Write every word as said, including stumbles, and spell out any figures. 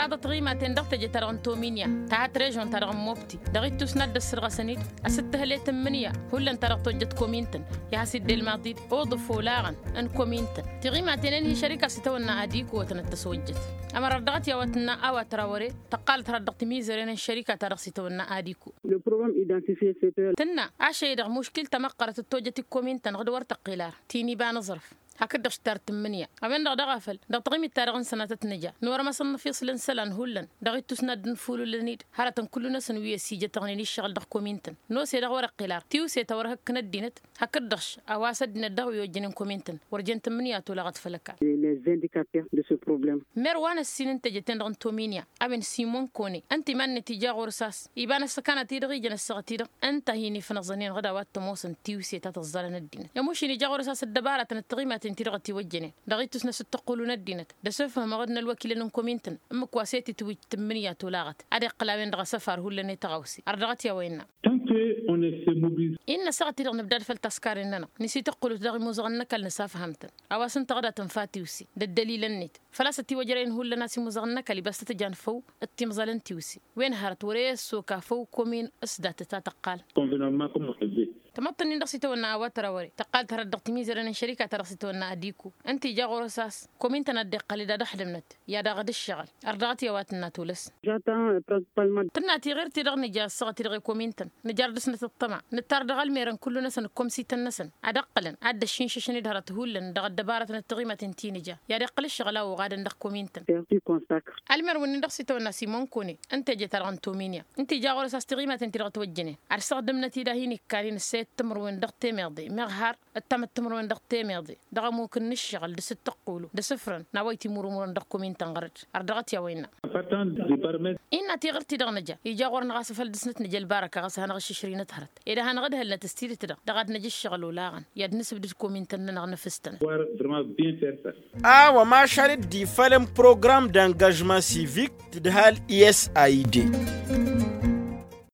Ad-ăṭṭăɣ imaten dăɣ-teje-ta-dăɣ n-tominya ta hăt režon-ta-dăɣ n-mobti dăɣ-ittus n-ad-dd-ăssărɣăsăn-dd. Ăsǝttăhăl i-tǝmmǝnǝya hullan ta dăɣ-tojjăt komi ǝntăn i-ad-has-idde ălmaḍi-dd uḍǝf olaɣăn n-komi ǝntăn. Tiɣimaten-en hi-šărika s-itawănna adiku wătăn ăttăswăjjăt. Ămăra dăɣ-t i-a-wa tǝnna a-wa tăra wăre tăqqalăt hărăt dăɣ-timizăren n-šărika ta dăɣ-s itawănna adiku. Tǝnna ašăl-i-dăɣ muškil tamăqqărăt d-tojjăt i-komi ǝntăn ɣǝd wăr tăqqel ar ti n-iba n-aẓrǝf. Hakd-dăɣ štar tǝmmǝnǝya a-wen-dăɣ daɣ a făl dăɣ-taɣimit-ta-dăɣ n-sănatăt n-ija n-wăr-măsăn n-ăfiṣǝl n-isălan hullan dăɣ-ittus n-ad-dd-nǝfulǝlăn-dd hărătăn kullu-năsăn wi ăsijătăɣnen iššăɣǝl dăɣ-komi ǝntăn. N-ose-dăɣ wăr-iqqǝl ar tiwse ta wăr hăkkăn ăddinăt hakd-dăɣ a-wa s-ăddinăt daɣ wi ojjănen komi ǝntăn wăr jen tǝmmǝnǝya tolaɣăt făll-ăkall. Mer wa n-ăssin n-teje-ten-dăɣ n-tominya a-wen simon kone ǝnta iman-net ija ɣur-s a-s iba n-ăssăkanat-i-dăɣ ijăn ăssaɣăt-i-dăɣ ǝnta a hin-ifnăẓănen ɣǝd a-wa t-ămoosăn tiwse ta tǝẓẓalăn ăddinăt. Ămušin ija ɣur-s a-s ăddăbaratăn d-tiɣimaten-ti-dăɣ ătiwăjjănen dăɣ-ittus n-asǝttăqqulu n-ăddinăt d-asǝfhǝmăɣ d-inălwăkilăn n-komi ǝntăn ǝmmǝk wa s-e-tǝtwǝj tǝmmǝnǝya tolaɣăt ad-iqqǝl a-wen-dăɣ asăfar hullan i-tăɣawse. Ardăɣăt i-a-wa innă. Innă ăssaɣăt-i-dăɣ nǝbdad făll-taskaren-nănăɣ nǝsităqqǝlut dăɣ-imuzăɣăn n-ăkall nǝsafham-tăn a-wa s-ǝnta ɣǝd a tǝnfa tiwse d-ăddălilăn-net făl-a-s ătiwăjrăyăn hullan a-s imuzăɣăn n-ăkall ibas tăt-ǝjan făw d-timẓal n-tiwse. Wen hărăt wăr-e ăssok afăw komin s-datăt a tăqqal. Tămăḍt-nin-dăɣ s-itawănna a-wa tăra wăr-e tăqqal tărăt dăɣ-timizăren n-šărika-ta-dăɣ s-itawănna adiku ǝnta ija ɣur-s a-s komin tăn-ad-dd-iqqăl-dd ad-ăxdǝmnăt i-ad-dăɣ d-ǝššăɣǝl. Ărdăɣăt i-a-wa tǝnna tulăs. Tǝnna tiɣirt-i-dăɣ nǝja ăssaɣăt-i-dăɣ i-komin-tăn nǝjar dăr-snăt ăṭṭăma nǝttar dăɣ-ălmerăn kullu-năsăn ǝkkomsităn-năsăn ad-ăqqǝlăn ad-dd-ăššinšăšăn-dd hărăt hullan dăɣ-ăddăbarătăn d-tiɣimaten ti nǝja i-ad-iqqǝl ǝššăɣǝl a oɣadăn dăɣ-komin-tăn. Ălmer wǝnnin-dăɣ s-itawănna simon kone n-teje-ta-dăɣ n-tominya ǝnta ija ɣur-s a-s tiɣimaten-ti-dăɣ ătwăjjănen ad-săɣdǝmnăt-dd a hin-ikkan-in ǝssa i-timǝrwen dăɣ-temeḍe meɣ har ǝttamăt timǝrwen dăɣ-temeḍe dăɣ-ămukǝn n-ǝššăɣǝl d-asǝttăqqulu d-asǝfrăn n-a-wa itmurumurăn dăɣ-komin-tăn ɣărăt. Ărdăɣăt i-a-wa innă. Innă tiɣǝrt-i-dăɣ nǝja ija ɣur-năɣ a-s afăl dăr-snăt nǝja ălbarăka ɣas a hanăɣ-ǝššǝšrǝynăt hărăt ed a hanăɣ-ǝdhălnăt s-tidǝt-dăɣ dăɣ-ad-năj ǝššăɣǝl olaɣăn i-ad-nǝsǝbdǝd komin-tăn-nănăɣ năfǝs-tănăt. A-wa mašal dd-ifălăn program d-angažman sivik tǝdhal i s a i d.